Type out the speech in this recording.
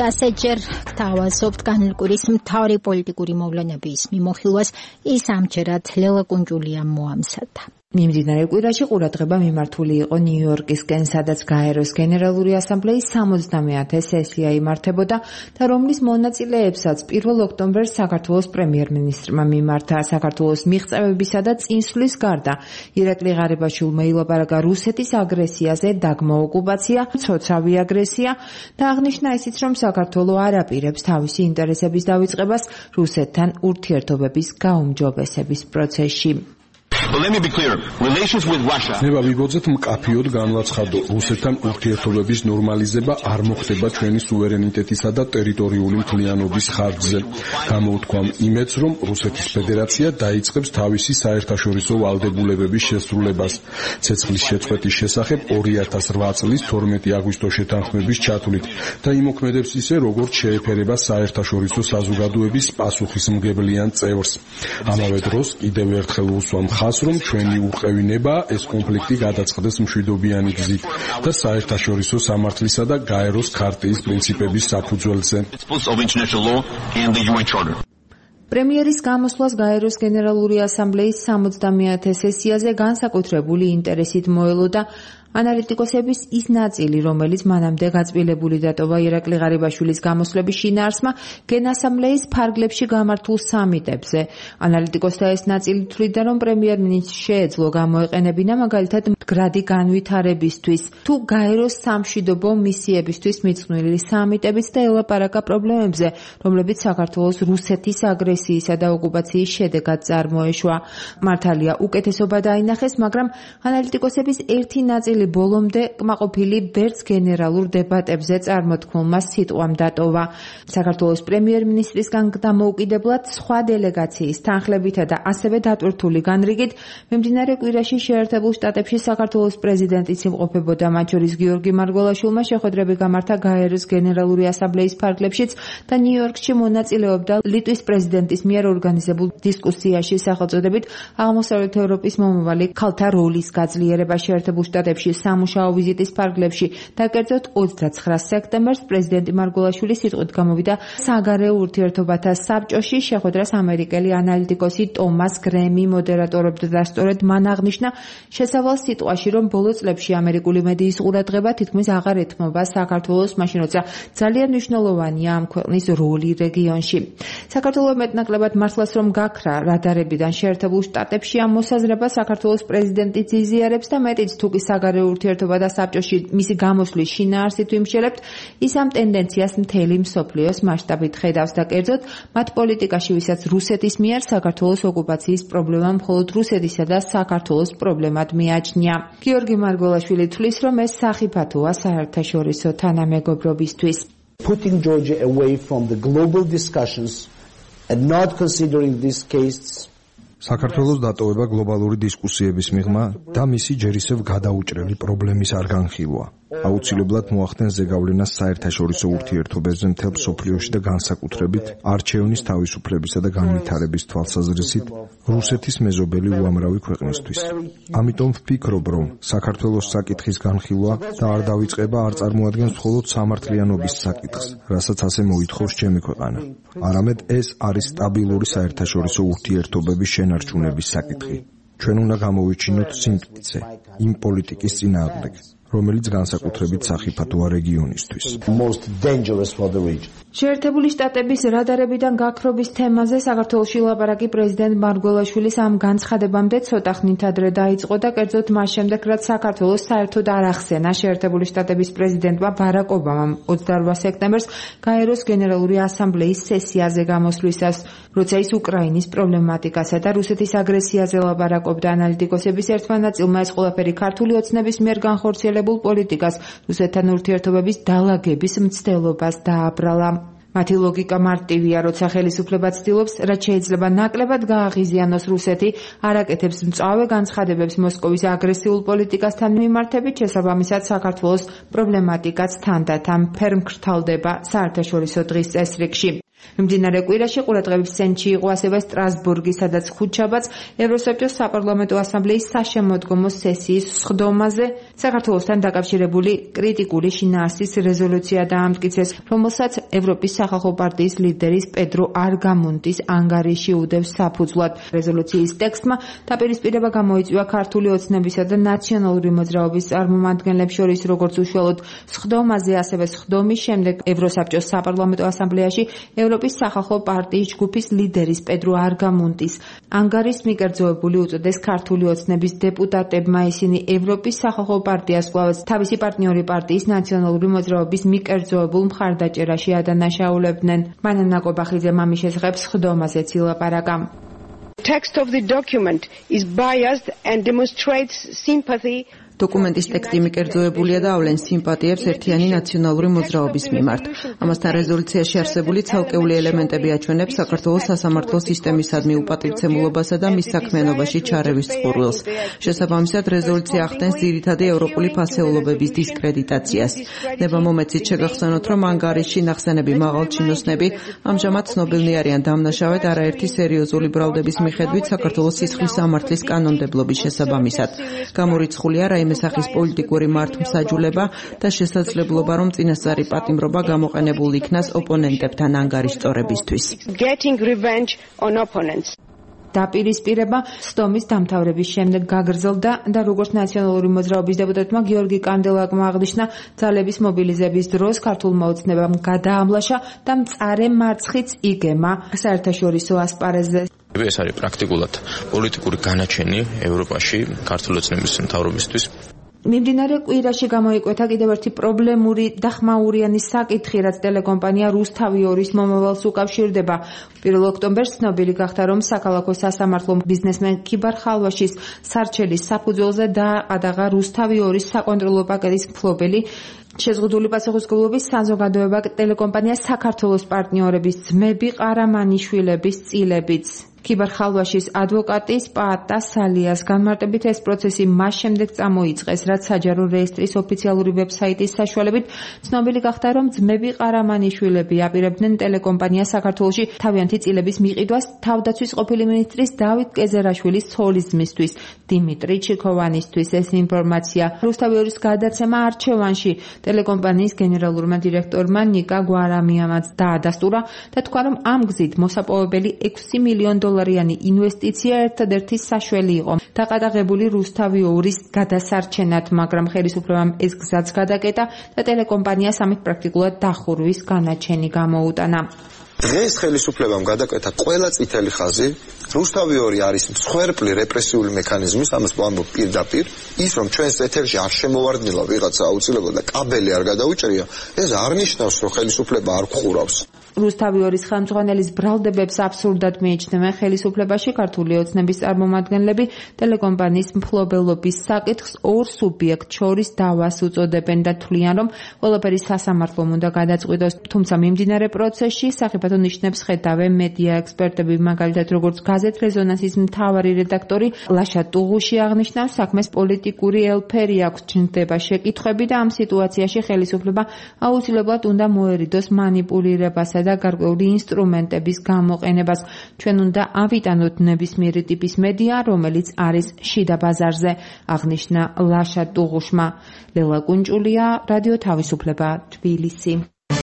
ასეთჯერ გთავაზობთ განლკვირის მთავარი პოლიტიკური მოვლენების მიმოხილვას ის ამჯერად ლელა კუნჯულიამ მოამზადა. მიმდინარე კვირაში ყურადღება მიმართული იყო ნიუ-იორკისკენ, სადაც გაეროს გენერალური ასამბლეის 70-ე სესია იმართებოდა და რომლის მონაწილეებსაც 1 ოქტომბერს საქართველოს პრემიერ-მინისტრმა მიმართა. საქართველოს მიღწევებისა და წინსვლის გარდა ირაკლი ღარიბაშვილმა ილაპარაკა რუსეთის აგრესიაზე, დაგმო ოკუპაცია, ცოცავი აგრესია და აღნიშნა ისიც, რომ საქართველო არ აპირებს თავისი ინტერესების დავიწყებას რუსეთთან ურთიერთობების გაუმჯობესების პროცესში. Let me be clear. Relations with Russia. ნება ვიბოძეთ მკაფიოდ განვაცხადო, რუსეთთან ურთიერთობების ნორმალიზება არ მოხდება ჩვენი სუვერენიტეტისა და ტერიტორიული მთლიანობის ხარჯზე. Გამოუთქვამ იმედს, რომ რუსეთის ფედერაცია დაიწყებს თავისი საერთაშორისო ვალდებულებების შესრულებას. ცეცხლის შეწყვეტის შესახებ 2008 წლის 12 აგვისტოს შეთანხმების ჩათვლით და იმოქმედებს ისე, როგორც შეეფერება საერთაშორისო საზოგადოების პასუხისმგებლიან წევრს. ამავე დროს კიდევ ერთხელ უსვამ ხაზს, რომ ჩვენი უყევინება ეს კონფლიქტი გადაწყდეს მშვიდობიანი გზით და საერთაშორისო სამართლისა და გაეროს ქარტიის პრინციპების საფუძველზე. პრემიერის გამოსვლას გაეროს გენერალური ასამბლეის 70-ე სესიაზე განსაკუთრებული ინტერესით მოელოდა ანალიტიკოსების ის ნაწილი, რომელიც მანამდე გაწმილებული დატოვა ირაკლი ღარიბაშვილის გამოსვლების შინაარსმა გენასამბლეის ფარგლებში გამართულ სამიტებზე. ანალიტიკოსთა ეს ნაწილი თვლიდა, რომ პრემიერ-მინისტრს შეეძლო გამოეყენებინა მაგალითად მდგრადი განვითარებისთვის, თუ გაეროს სამშვიდობო მისიებისთვის მიძღვნილი სამიტებიც და ელაპარაკა პრობლემებზე, რომლებიც საქართველოს რუსეთის აგრესიისა და ოკუპაციის შედეგად წარმოეშვა. მართალია, უკეთესობა დაინახეს, მაგრამ ანალიტიკოსების ერთი ნაწილი ბოლომდე კმაყოფილი ვერც გენერალურ დებატებზე წარმოთქმულმა სიტყვამ დატოვა. საქართველოს პრემიერ-მინისტრისგან დამოუკიდებლად სხვა დელეგაციის თანხლებითა და ასევე დატვირთული განრიგით მიმდინარე კვირაში შეერთებულ შტატებში საქართველოს პრეზიდენტიც იმყოფებოდა, მათ შორის გიორგი მარგველაშვილმა შეხვედრები გამართა გაეროს გენერალური ასამბლეის ფარგლებშიც და ნიუ-იორკში მონაწილეობდა ლიტვის პრეზიდენტის მიერ ორგანიზებულ დისკუსიაში სახელწოდებით აღმოსავლეთ ევროპის მომავალი ქალთა როლის გაძლიერება შეერთებულ შტატებში სამუშაო ვიზიტის ფარგლებში და კერძოდ 29 სექტემბერს პრეზიდენტი მარგველაშვილი სიტყვით გამოვიდა საგარეო ურთიერთობათა საბჭოში. შეხვედრას ამერიკელი ანალიტიკოსი ტომას გრემი მოდერატორობდა და სწორედ მან აღნიშნა შესავალ სიტყვაში, რომ ბოლო წლებში ამერიკული მედიის ყურადღება თითქმის აღარ ეთმობა საქართველოს, მაშინ როცა ძალიან მნიშვნელოვანია ამ ქვეყნის როლი რეგიონში. საქართველოს მეტნაკლებად მართლაც რომ გაქრა რადარებიდან შეერთებულ შტატებში ამ მოსაზრებას საქართველოს პრეზიდენტი იზიარებს და მეტიც თუ კი საგარეო ურთიერთობა და საბჭოში მისი გამოსვლის შინაარსით ვიმსჯელებთ, ის ამ ტენდენციას მთელი მსოფლიოს მასშტაბით ხედავს და კერძოდ მათ პოლიტიკაში, ვისაც რუსეთის მიერ საქართველოს ოკუპაციის პრობლემა მხოლოდ რუსეთისა და საქართველოს პრობლემად მიაჩნია. გიორგი მარგველაშვილი თვლის, რომ ეს სახიფათოა საერთაშორისო თანამეგობრობისთვის. Putting Georgia away from the global discussions and not considering this case საქართველოს დატოვება გლობალური დისკუსიების მიღმა და მისი ჯერ ისევ გადაუჭრელი პრობლემის არ განხილვა. აუცილებლად მოახდენს ზეგავლენას საერთაშორისო ურთიერთობებზე მთელ მსოფლიოში და განსაკუთრებით არჩევნის თავისუფლებისა და განვითარების თვალსაზრისით რუსეთის მეზობელი უამრავი ქვეყნისთვის. ამიტომ ვფიქრობ, რომ საქართველოს საკითხის განხილვა და არ დავიწყება არ წარმოადგენს მხოლოდ სამართლიანობის საკითხს, რასაც ასე მოითხოვს ჩემი ქვეყანა. არამედ ეს არის სტაბილური საერთაშორისო ურთიერთობების შენარჩუნების საკითხი. ჩვენ უნდა გამოვიჩინოთ სიმტკიცე იმ პოლიტიკის წინააღმდეგ, რომელიც განსაკუთრებით სახიფათოა რეგიონისთვის. შეერთებული შტატების რადარებიდან გაქრობის თემაზე საქართველოში ლაპარაკი პრეზიდენტ მარგველაშვილის ამ განცხადებამდე ცოტა ხნით ადრე დაიწყო და კერძოდ მას შემდეგ, რაც საქართველოს საერთოდ არ ახსენა შეერთებული შტატების პრეზიდენტმა ბარაკ ობამამ 28 სექტემბერს გაეროს გენერალური ასამბლეის სესიაზე გამოსვლისას, როცა ის უკრაინის პრობლემატიკასა და რუსეთის აგრესიაზე ლაპარაკობდა. ანალიტიკოსების ერთმა ნაწილმა ეს ყველაფერი ქართული ოცნების მიერ განხორციელებულ პოლიტიკას, რუსეთთან ურთიერთობების დალაგების მცდელობას დააბრალა. მათი ლოგიკა მარტივია, როცა ხელისუფლება ცდილობს, რაც შეიძლება ნაკლებად გააღიზიანოს რუსეთი, არ აკეთებს მწვავე განცხადებებს მოსკოვის აგრესიულ პოლიტიკასთან მიმართებით, შესაბამისად საქართველოს პრობლემატიკაც თანდათან ფერ მკრთალდება საერთაშორისო დღის წესრიგში. მიმდინარე კვირაში ყურადღების ცენტრში იყო ასევე სტრასბურგი, სადაც ხუთშაბათს ევროსაბჭოს საპარლამენტო ასამბლეის საშემოდგომო სესიის სხდომაზე საქართველოსთან დაკავშირებული კრიტიკული შინაარსის რეზოლუცია დაამტკიცეს, რომელსაც ევროპის სახალხო პარტიის ლიდერის პედრო არგამუნტის ანგარიში უდევს საფუძვლად. რეზოლუციის ტექსტმა დაპირისპირება გამოიწვია ქართული ოცნებისა და ნაციონალური მოძრაობის წარმომადგენლებს შორის, როგორც უშუალოდ სხდომაზე, ასევე სხდომის შემდეგ ევროსაბჭოს საპარლამენტო ასამბლეაში ევროპის სახალხო პარტიის ჯგუფის ლიდერის პედრო არგამუნტის ანგარიშს მიკერძოებული უწოდეს ქართული ოცნების დეპუტატებმა. ისინი ევროპის სახალხო პარტიას კვლავ თავისი პარტნიორი პარტიის ნაციონალური მოძრაობის მიკერძოებულ მხარდაჭერაში ადანაშაულებდნენ. მანანა კობახიძემ ამის შესახებ სხდომაზეც ილაპარაკა. Text of the document is biased and demonstrates sympathy. დოკუმენტის ტექსტი მიკერძოებულია და ავლენს სიმპათიებს ერთიანი ნაციონალური მოძრაობის მიმართ. ამასთან რეზოლუციაში არსებული ცალკეული ელემენტები აჩვენებს საქართველოს სასამართლო სისტემისადმი უპატივცემულობასა და მის საქმიანობაში ჩარევის წყურვილს. შესაბამისად, რეზოლუცია ახდენს ძირითადი ევროპული ფასეულობების დისკრედიტაციას. ნებამომეცით შეგახსენოთ, რომ ანგარიშში ნახსენები მაღალჩინოსნები ამჟამად ცნობილნი არიან დამნაშავედ არაერთი სერიოზული ბრალდების მიხედვით საქართველოს სისხლის სამართლის კანონმდებლობის შესაბამისად. გამორიცხულია რაიმე სახის პოლიტიკური მართლმსაჯულება და შესაძლებლობა, რომ წინასწარი პატიმრობა გამოყენებულ იქნას ოპონენტებთან ანგარიშ სწორებისთვის. დაპირისპირება სხდომის დამთავრების შემდეგ გაგრძელდა და როგორც ნაციონალური მოძრაობის დეპუტატმა გიორგი კანდელაკმა აღნიშნა, ძალების მობილიზების დროს ქართულმა ოცნებამ გადაამლაშა და მწარე მარცხიც იგემა საერთაშორისო ასპარეზზე. ეს არის პრაქტიკულად პოლიტიკური განაჩენი ევროპაში ქართული ოცნების მთავრობისთვის. მიმდინარე კვირაში გამოიკვეთა კიდევ ერთი პრობლემური და ხმაურიანი საკითხი, რაც ტელეკომპანია რუსთავი 2-ის მომავალს უკავშირდება. 1 ოქტომბერს ცნობილი გახდა, რომ საქალაქო სასამართლომ ბიზნესმენ ქიბარ ხალვაშის სარჩელის საფუძველზე დააყადაღა რუსთავი 2-ის საკონტროლო პაკეტის მფლობელი. შეზღუდული პასუხისმგებლობის საზოგადოება ტელეკომპანია საქართველოს პარტნიორების ძმები ყარამანიშვილების წილებიც. ქიბარ ხალვაშის ადვოკატის პაატა სალიას განმარტებით ეს პროცესი მას შემდეგ წამოიწყეს, რაც საჯარო რეესტრის ოფიციალური ვებსაიტის საშუალებით ცნობილი გახდა, რომ ძმები ყარამანიშვილები აპირებდნენ ტელეკომპანია საქართველოში თავიანთი წილების მიყიდვას თავდაცვის ყოფილი მინისტრის დავით კეზერაშვილის ცოლის ძმისთვის, დიმიტრი ჩიქოვანისთვის. ეს ინფორმაცია რუსთავი 2-ის გადაცემა არჩევანში ტელეკომპანიის გენერალურმა დირექტორმა ნიკა გვარამიამაც დაადასტურა და თქვა, რომ ამ გზით მოსაპოვებელი 6 მილიონ დოლარიანი ინვესტიცია ერთადერთი საშველი იყო დაყადაღებული რუსთავი 2-ის გადასარჩენად, მაგრამ ხელისუფლებამ ეს გზაც გადაკეტა და ტელეკომპანიას ამით პრაქტიკულად დახურვის განაჩენი გამოუტანა. დღეს ხელისუფლებამ გადაკეთა ყველა წითელი ხაზი. რუსთავი 2 არის მსხვერპლი რეპრესიული მექანიზმის, ამას ვამბობ პირდაპირ. ის რომ ჩვენს ეთერში არ შემოვარდნილა ვიღაცა აუცილებლად და კაბელი არ გადაუჭრია, ეს არ ნიშნავს, რომ ხელისუფლება არ გხურავს. რუსთავი 2-ის ხელმძღვანელის ბრალდებებს აბსურდად მიიჩნევენ ხელისუფლებაში ქართული ოცნების წარმომადგენლები. ტელეკომპანიის მფლობელობის საკითხს ორ სუბიექტს შორის დავას უწოდებენ და თვლიან, რომ ყველაფერი სასამართლომ უნდა გადაწყვიტოს. თუმცა მიმდინარე პროცესში სახიფათო ნიშნებს ხედავენ მედია ექსპერტები, მაგალითად როგორც გაზეთ რეზონანსის მთავარი რედაქტორი ლაშა ტუღუში აღნიშნავს, საქმეს პოლიტიკური ელფერი აქვს, ჩნდება შეკითხვები და ამ სიტუაციაში ხელისუფლება აუცილებლად უნდა მოერიდოს манипулირებასა და გარკვეული ინსტრუმენტების გამოყენებას. ჩვენ უნდა ავიტანოთ ნებისმიერი ტიპის მედია, რომელიც არის შიდა ბაზარზე, აღნიშნა ლაშა ტუღუშმა. ლელა კუნჭულია, რადიო თავისუფლება, თბილისი.